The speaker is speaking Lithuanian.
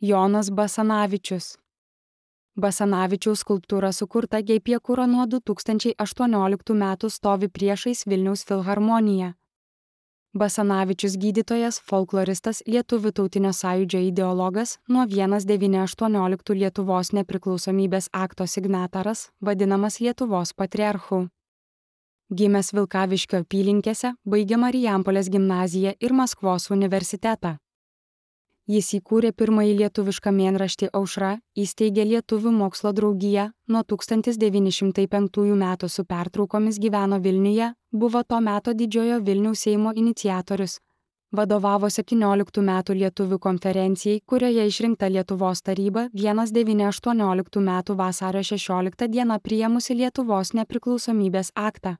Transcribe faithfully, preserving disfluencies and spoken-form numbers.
Jonas Basanavičius. Basanavičiaus skulptūra sukurta Geipiekuro nuo du tūkstančiai aštuonioliktų metų stovi priešais Vilniaus filharmoniją. Basanavičius gydytojas, folkloristas, Lietuvių tautinio sąjūdžio ideologas, nuo vienas devyni aštuonioliktų Lietuvos nepriklausomybės akto signataras, vadinamas Lietuvos patriarchu. Gimęs Vilkaviškio apylinkėse, baigė Marijampolės gimnaziją ir Maskvos universitetą. Jis įkūrė pirmąjį lietuvišką mėnraštį Aušra, įsteigė Lietuvių mokslo draugiją, nuo tūkstantis devyni šimtai penktųjų metų su pertraukomis gyveno Vilniuje, buvo to meto Didžiojo Vilniaus Seimo iniciatorius. Vadovavo septynioliktų metų Lietuvių konferencijai, kurioje išrinkta Lietuvos taryba vienas devyni aštuonioliktų metų vasario šešioliktą dieną priėmusi Lietuvos nepriklausomybės aktą.